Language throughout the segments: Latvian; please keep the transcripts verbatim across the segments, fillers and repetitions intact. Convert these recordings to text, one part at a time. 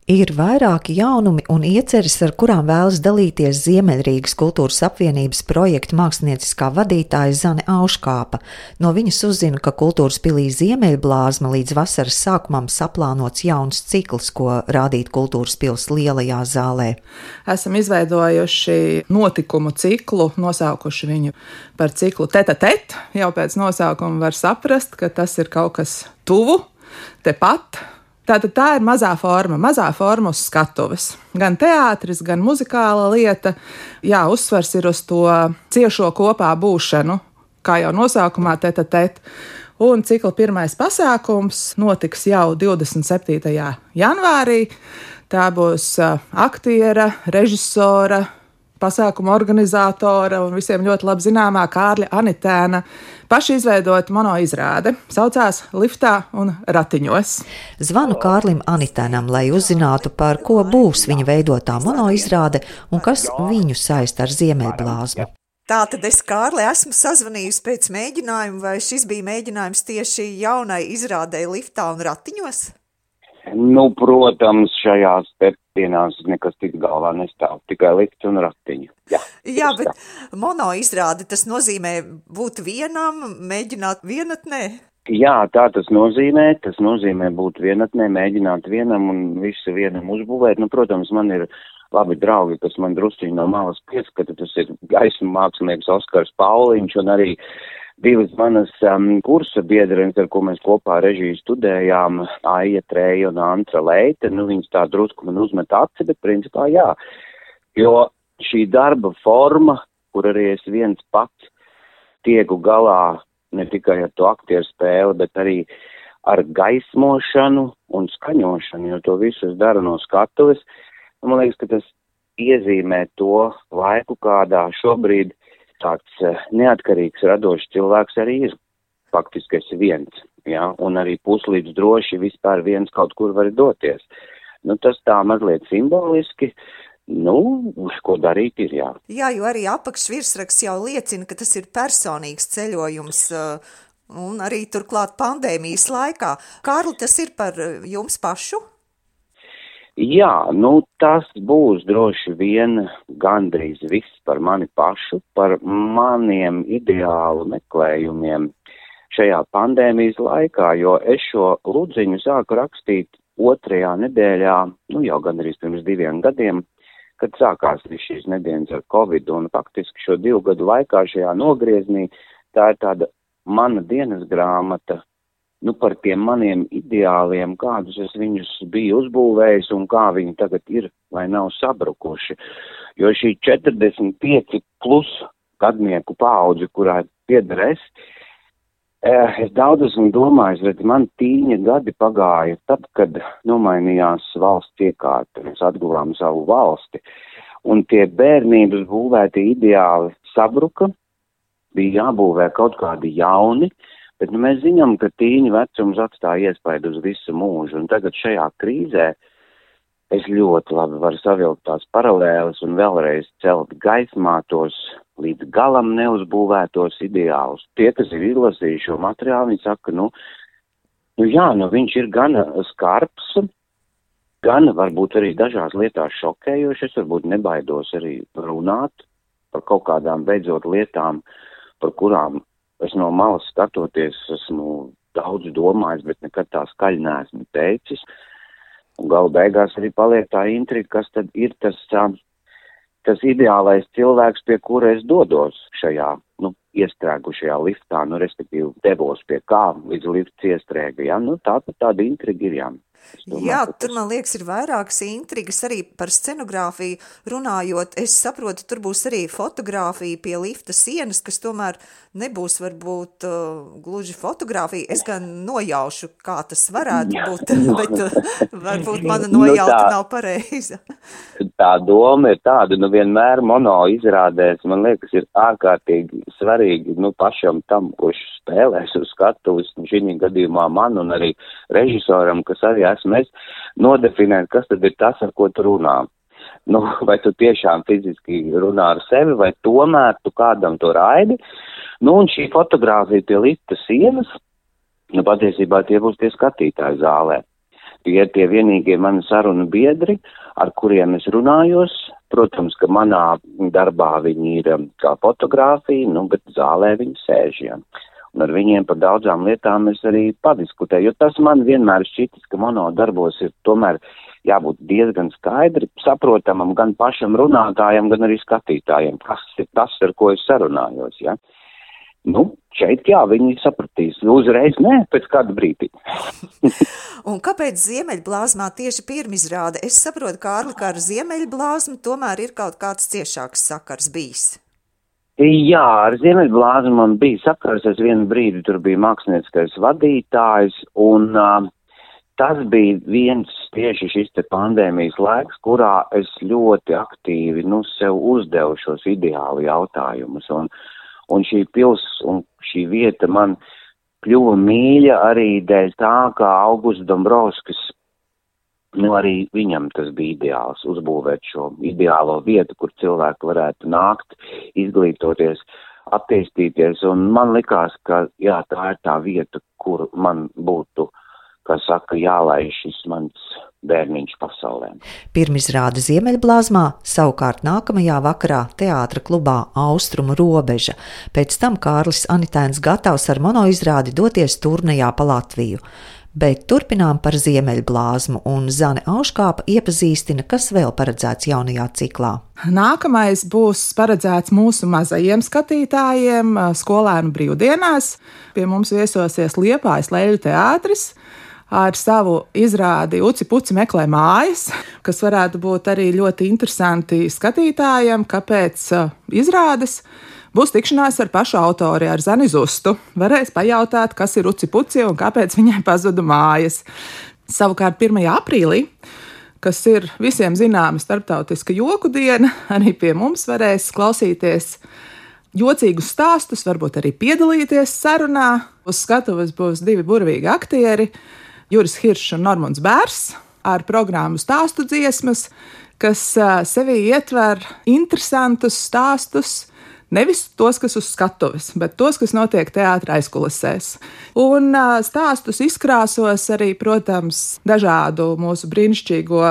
Ir vairāki jaunumi un ieceres, ar kurām vēlas dalīties Ziemeļrīgas kultūras apvienības projekta mākslinieciskā vadītāja Zane Auškāpa. No viņas uzzinu, ka kultūras pilī Ziemeļblāzma līdz vasaras sākumam saplānots jauns cikls, ko rādīt kultūras pils lielajā zālē. Esam izveidojuši notikumu ciklu, nosaukuši viņu par ciklu Tete-a-tete. Jau pēc nosaukuma var saprast, ka tas ir kaut kas tuvu, tepat. Tātad tā ir mazā forma, mazā forma uz skatuves. Gan teātris, gan muzikāla lieta. Jā, uzsvars ir uz to ciešo kopā būšanu, kā jau nosaukumā Tete-a-tete. Un cikla pirmais pasākums notiks jau divdesmit septītajā janvārī. Tā būs aktiera, režisora, pasākuma organizatora un visiem ļoti labi zināmā Kārļa Anitēna paši izveidot monoizrāde. Saucās Liftā un ratiņos. Zvanu Kārlim Anitēnam, lai uzzinātu, par ko būs viņa veidotā monoizrāde un kas viņu saista ar Ziemeļblāzmu. Tātad es, Kārli, esmu sazvanījusi pēc mēģinājuma, vai šis bija mēģinājums tieši jaunai izrādei Liftā un ratiņos? Nu, protams, šajās dienās nekas tik galvā nestāv, tikai lifts un ratiņu. Jā, Jā bet mono izrāde, tas nozīmē būt vienam, mēģināt vienatnē? Jā, tā tas nozīmē, tas nozīmē būt vienatnē, mēģināt vienam un visu vienam uzbūvēt. Nu, protams, man ir labi draugi, kas man drusciņi no malas pieskata, tas ir gaismu mākslinieks Oskars Pauliņš un arī divas manas um, kursa biedrenes, ar ko mēs kopā režiju studējām, Aija Treja un Antra Leite. Nu, viņas tā drusku man uzmet aci, bet principā jā. Jo šī darba forma, kur arī es viens pats tieku galā ne tikai ar to aktieru spēli, bet arī ar gaismošanu un skaņošanu, jo to visu es daru no skatuves. Man liekas, ka tas iezīmē to laiku, kādā šobrīd tāds neatkarīgs, radošs cilvēks arī ir. Faktiski esi viens, ja? Un arī puslīdz droši vispār viens kaut kur var doties. Nu, tas tā mazliet simboliski, nu, ko darīt ir, jā. Jā, jo arī apakšvirsraksts jau liecina, ka tas ir personīgs ceļojums, un arī turklāt pandēmijas laikā. Kārli, tas ir par jums pašu? Jā, nu tas būs droši vien gandrīz viss par mani pašu, par maniem ideālu meklējumiem šajā pandēmijas laikā, jo es šo ludziņu sāku rakstīt otrajā nedēļā, nu jau gandrīz pirms diviem gadiem, kad sākās šīs nedēļas ar Covid, un faktiski šo divu gadu laikā šajā nogrieznī tā ir tāda mana dienas grāmata, nu, par tiem maniem ideāliem, kādus es viņus biju uzbūvējis un kā viņi tagad ir vai nav sabrukuši. Jo šī četrdesmit pieci plus gadnieku paudze, kurā pieder es, es daudz esmu domājis, bet man tīņa gadi pagāja tad, kad nomainījās valsts iekārta, mēs atguvām savu valsti. Un tie bērnības būvēti ideāli sabruka, bija jābūvē kaut kādi jauni, bet nu, mēs zinām, ka tīņa vecums atstāja iespaidu uz visu mūžu, un tagad šajā krīzē es ļoti labi varu savilkt tās paralēles un vēlreiz celt gaismā tos līdz galam neuzbūvētos ideālus. Tie, kas ir izlasījuši šo materiālu, viņi saka, nu, nu jā, nu viņš ir gan skarbs, gan varbūt arī dažās lietās šokējoši, es varbūt nebaidos arī runāt par kaut kādām beidzot lietām, par kurām es no malas skatoties, esmu daudz domājis, bet nekad tā skaļi neesmu teicis. Un galu beigās arī paliek tā intriga, kas tad ir tas, tas ideālais cilvēks, pie kura es dodos šajā, nu, iestrēgušajā liftā, nu, respektīvi devos pie kā līdz lifts iestrēga, ja? Nu, tā tad tāda intriga ir, jā. Domāju, Jā, tur, man liekas, ir vairākas intrigas arī par scenogrāfiju runājot. Es saprotu, tur būs arī fotogrāfija pie lifta sienas, kas tomēr nebūs varbūt uh, gluži fotogrāfija. Es gan nojaušu, kā tas varētu būt, bet uh, varbūt mana nojauta nu, nav pareiza. Tā doma ir tāda, nu vienmēr mono izrādēs, man liekas, ir ārkārtīgi svarīgi, nu pašam tam, kurš spēlēs uz skatuves, šī gadījumā man un arī režisoram, kas arī esmu es, nodefinēt, kas tad ir tas, ar ko tu runā. Nu, vai tu tiešām fiziski runā ar sevi, vai tomēr tu kādam to raidi. Nu, un šī fotogrāfija pie lifta sienas, nu, patiesībā tie būs tie skatītāji zālē. tie ir tie vienīgie mani sarunu biedri, ar kuriem es runājos. Protams, ka manā darbā viņi ir kā fotogrāfija, nu, bet zālē viņi sēž, ja. Un ar viņiem par daudzām lietām es arī padiskutēju, jo tas man vienmēr šķitis, ka mono darbos ir tomēr jābūt diezgan skaidri saprotamam gan pašam runātājam, gan arī skatītājiem, kas ir tas, ar ko es sarunājos, ja. Nu, šeit jā, viņi sapratīs. Uzreiz nē, pēc kāda brīdī. Un kāpēc Ziemeļblāzmā tieši pirmizrāde? Es saprotu, Kārli, ka ar Ziemeļblāzmu tomēr ir kaut kāds ciešāks sakars bijis. Jā, ar Ziemeļblāzmu man bija sakars, es vienu brīdi tur biju mākslinieckais vadītājs, un uh, tas bija viens tieši šis te pandēmijas laiks, kurā es ļoti aktīvi, nu, sev uzdevu šos ideālu jautājumus, un, un šī pils un šī vieta man kļuva mīļa arī dēļ tā, ka Augusts Dombrovskis, nu, arī viņam tas bija ideāls, uzbūvēt šo ideālo vietu, kur cilvēki varētu nākt, izglītoties, attīstīties, un man likās, ka, jā, tā ir tā vieta, kur man būtu, kā saka, jālaiž šis mans bērniņš pasaulē. Pirmizrāde Ziemeļblāzmā, savukārt nākamajā vakarā teātra klubā Austrumu robeža. Pēc tam Kārlis Anitēns gatavs ar monoizrādi doties turnejā pa Latviju. Bet turpinām par Ziemeļblāzmu, un Zane Auškāpa iepazīstina, kas vēl paredzēts jaunajā ciklā. Nākamais būs paredzēts mūsu mazajiem skatītājiem skolēnu brīvdienās. Pie mums viesosies Liepājas Leļu teātris ar savu izrādi Uci Puci meklē mājas, kas varētu būt arī ļoti interesanti skatītājiem, kāpēc izrādes. Būs tikšanās ar pašu autori, ar Zani Zustu. Varēs pajautāt, kas ir Uci Puci un kāpēc viņai pazuda mājas. Savukārt pirmajā aprīlī, kas ir visiem zināma starptautiska joku diena, arī pie mums varēs klausīties jocīgus stāstus, varbūt arī piedalīties sarunā. Uz skatuves būs divi burvīgi aktieri, Juris Hiršs un Normunds Bērs, ar programmu Stāstu dziesmas, kas sevī ietver interesantus stāstus, nevis tos, kas uz skatuves, bet tos, kas notiek teātra aizkulisēs. Un stāstus izkrāsos arī, protams, dažādu mūsu brīnišķīgo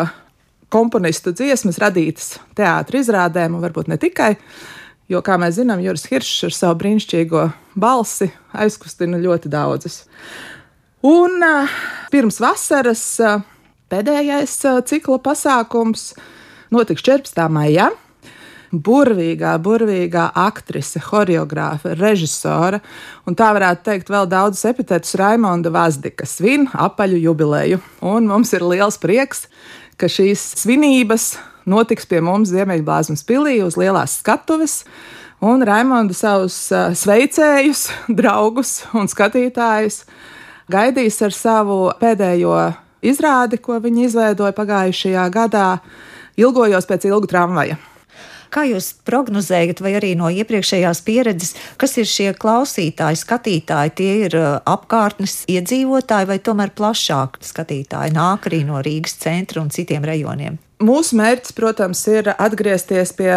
komponistu dziesmas radītas teātra izrādēm, un varbūt ne tikai, jo, kā mēs zinām, Juris Hiršs ar savu brīnišķīgo balsi aizkustina ļoti daudzas. Un pirms vasaras pēdējais cikla pasākums notiks četrpadsmitā maijā. Burvīgā, burvīgā aktrise, horeogrāfe, režisora, un tā varētu teikt vēl daudzus epitetus Raimonda Vazdika svin apaļu jubileju. Un mums ir liels prieks, ka šīs svinības notiks pie mums Ziemeļblāzmas pilī uz lielās skatuves, un Raimonda savus sveicējus, draugus un skatītājus gaidīs ar savu pēdējo izrādi, ko viņi izveidoja pagājušajā gadā, Ilgojos pēc ilgu tramvaja. Kā jūs prognozējat, vai arī no iepriekšējās pieredzes, kas ir šie klausītāji, skatītāji, tie ir apkārtnes iedzīvotāji vai tomēr plašāk skatītāji nāk arī no Rīgas centra un citiem rajoniem? Mūsu mērķis, protams, ir atgriezties pie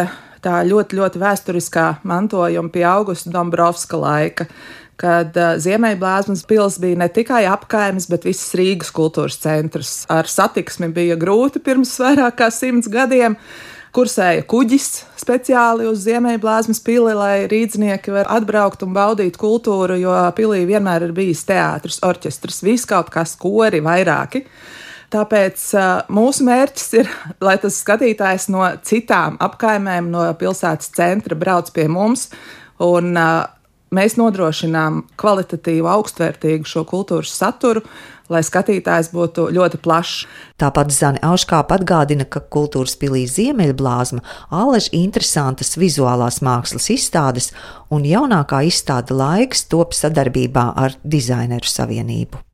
tā ļoti, ļoti vēsturiskā mantojuma, pie Augusta Dombrovska laika, kad Ziemeļblāzmas pils bija ne tikai apkaimes, bet visas Rīgas kultūras centrs. Ar satiksmi bija grūti pirms vairāk kā simts gadiem. Kursēja kuģis speciāli uz Ziemeļblāzmas pili, lai rīdznieki var atbraukt un baudīt kultūru, jo pilī vienmēr ir bijis teātris, orķestris, viss kaut kas, kori, vairāki. Tāpēc mūsu mērķis ir, lai tas skatītājs no citām apkaimēm, no pilsētas centra brauc pie mums, un mēs nodrošinām kvalitatīvu, augstvērtīgu šo kultūras saturu, lai skatītājs būtu ļoti plašs. Tāpat Zane Auškāpa atgādina, ka kultūras pilī Ziemeļblāzma ālež interesantas vizuālās mākslas izstādes, un jaunākā izstāde Laiks top sadarbībā ar Dizaineru savienību.